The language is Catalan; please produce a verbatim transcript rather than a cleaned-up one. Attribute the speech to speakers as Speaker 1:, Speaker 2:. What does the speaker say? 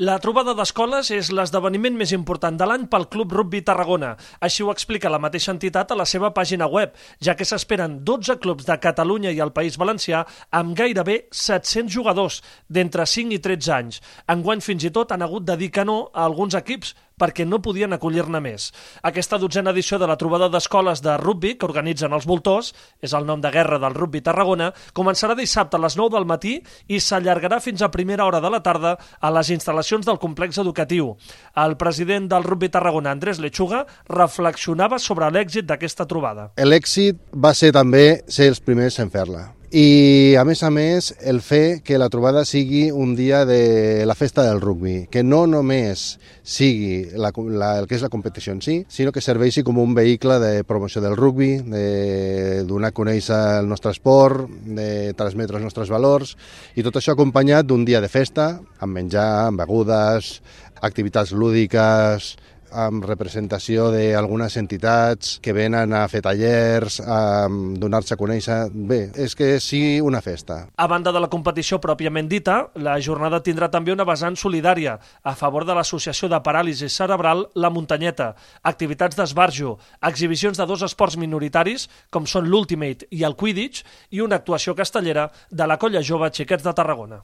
Speaker 1: La trobada d'escoles és l'esdeveniment més important de l'any pel Club Rugby Tarragona. Així ho explica la mateixa entitat a la seva pàgina web, ja que s'esperen dotze clubs de Catalunya i el País Valencià amb gairebé set-cents jugadors d'entre cinc i tretze anys. Enguany fins i tot han hagut de dir que no a alguns equips perquè no podien acollir-ne més. Aquesta dotzena edició de la trobada d'escoles de rugby que organitzen els Voltors, és el nom de guerra del Rugby Tarragona, començarà dissabte a les nou del matí i s'allargarà fins a primera hora de la tarda a les instal·lacions del complex educatiu. El president del Rugby Tarragona, Andrés Lechuga, reflexionava sobre l'èxit d'aquesta trobada.
Speaker 2: L'èxit va ser també ser els primers en fer-la. I, a més a més, el fer que la trobada sigui un dia de la festa del rugby, que no només sigui la, la, el que és la competició en si, sinó que serveixi com un vehicle de promoció del rugby, de donar a conèixer el nostre esport, de transmetre els nostres valors, i tot això acompanyat d'un dia de festa, amb menjar, amb begudes, activitats lúdiques, amb representació d'algunes entitats que venen a fer tallers, a donar-se a conèixer. Bé, és que sigui una festa.
Speaker 1: A banda de la competició pròpiament dita, la jornada tindrà també una vessant solidària a favor de l'Associació de Paràlisi Cerebral La Muntanyeta, activitats d'esbarjo, exhibicions de dos esports minoritaris, com són l'Ultimate i el Quidditch, i una actuació castellera de la Colla Jove Xiquets de Tarragona.